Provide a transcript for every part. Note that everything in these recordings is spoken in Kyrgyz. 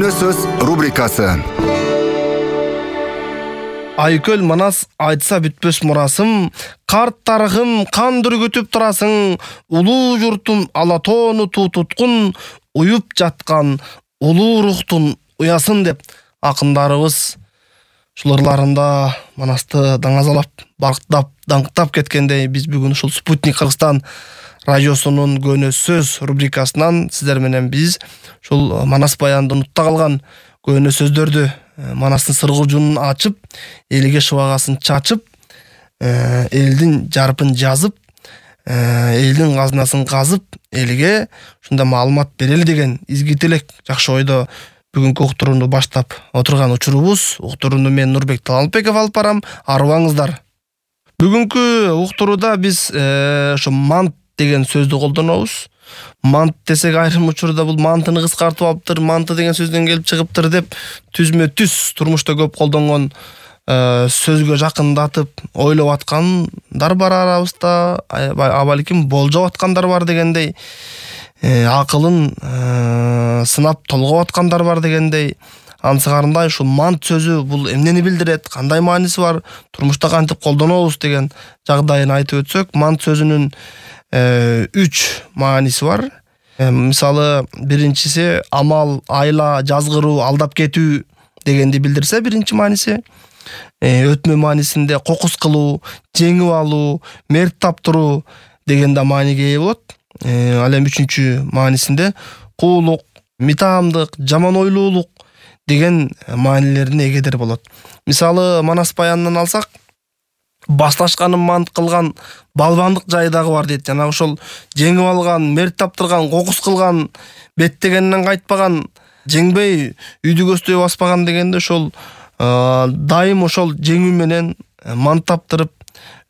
Көөнө сөз рубрикасы. Айкөл Манас айтса бүтпөс мурасым, карт тарыхым кан дүргүтүп турасың, улуу журтум Алатоону туу туткун, уюп жаткан улуу рухтун уясын деп акындарыбыз шуларларында Манасты даңазалап, барктап, даңктап кеткендей, биз бүгүн ушул Спутник Кыргызстан радиосунун Көөнө сөз рубрикасынан сиздер менен биз ушул Манас баянды унутта калган көөнө сөздөрдү, Манастын сыргылжуунун ачып, элге шыбагасын чачып, элдин жарпын жазып, элдин казынасын казып, элге ушундай маалымат берели деген изги тилек, жакшы ойдо бүгүнкү уктурууну баштап отурган учурубуз. Уктурууну мен Нурбек Талантбеков алып барам. Арыбаңыздар. Бүгүнкү уктурууда биз ошо мант деген сөздү колдонобуз. Мант десек айрым учурда бул мантыны кыскартып алыптыр, манты деген сөздөн келип чыгыптыр деп түзмө түз турмушта көп колдонгон сөзгө жакындатып ойлоп аткандар бар арабызда, балким болжоп аткандар бар дегендей, акылын сынап толгоп аткандар бар дегендей. Ансыгарындай ушул мант сөзү бул эмнени билдирет, кандай мааниси бар, турмушта кантип колдонобуз деген жагдайын айтып өтсөк, мант сөзүнүн 3 мааниси бар. Мисалы, биринчиси амал, айла, жазгыруу, алдап кетүү дегенди билдирсе, биринчи мааниси. Өтмө маанисинде кокус кылуу, жеңип алуу, мерт таптыруу деген да мааниге ээ болот. Ал эми үчүнчү маанисинде куулук, митаамдык, жаман ойлуулук деген маанилерине эгедер болот. Мисалы, Манас баянынан алсак, башташканын мант кылган балбандык жайы дагы бар дейт. Жана ошол жеңип алган, мерт таптырган, кокус кылган, беттегенинен кайтпаган, жеңбей үйдү көздөй баспаган дегенде ошол дайым ошол жеңүү менен мант таптырып,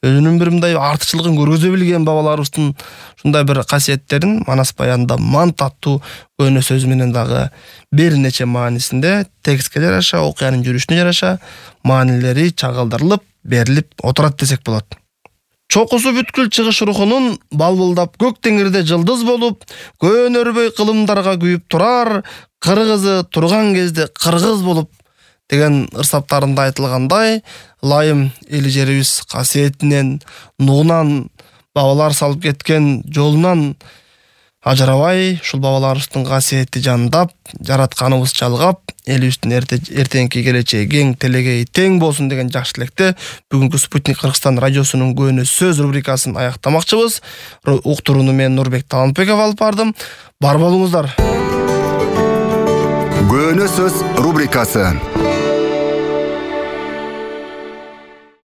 өзүнүн бир мындай артыкчылыгын көргөзө билген бабаларыбыздын ушундай бир касиеттерин Манас баянында мант аттуу көөнө сөз менен дагы бир нече маанисинде текстке жараша, окуянын жүрүшүнө жараша маанилери чагылдырылып, берилип отурат десек болот. Чокусу бүткүл чыгыш рухунун балбылдап көк теңирде жылдыз болуп, көөнөрбөй кылымдарга күйүп турар, кыргызы турган кезде кыргыз болуп деген ырсаптарында айтылгандай, ылайым эли жерибиз касиетинен, нугунан, бабалар салып кеткен жолунан ажырабай, ушул бабаларыбыздын касиети жандап, жаратканыбыз жалгап, элибиздин эртеңки келечеги кең, телегеи тең болсун деген жакшы тилекте бүгүнкү Спутник Кыргызстан радиосунун Көөнө сөз рубрикасын аяктамакчыбыз. Уктурууну мен Нурбек Талантбеков алып бардым. Бар болуңуздар. Көөнө сөз рубрикасы.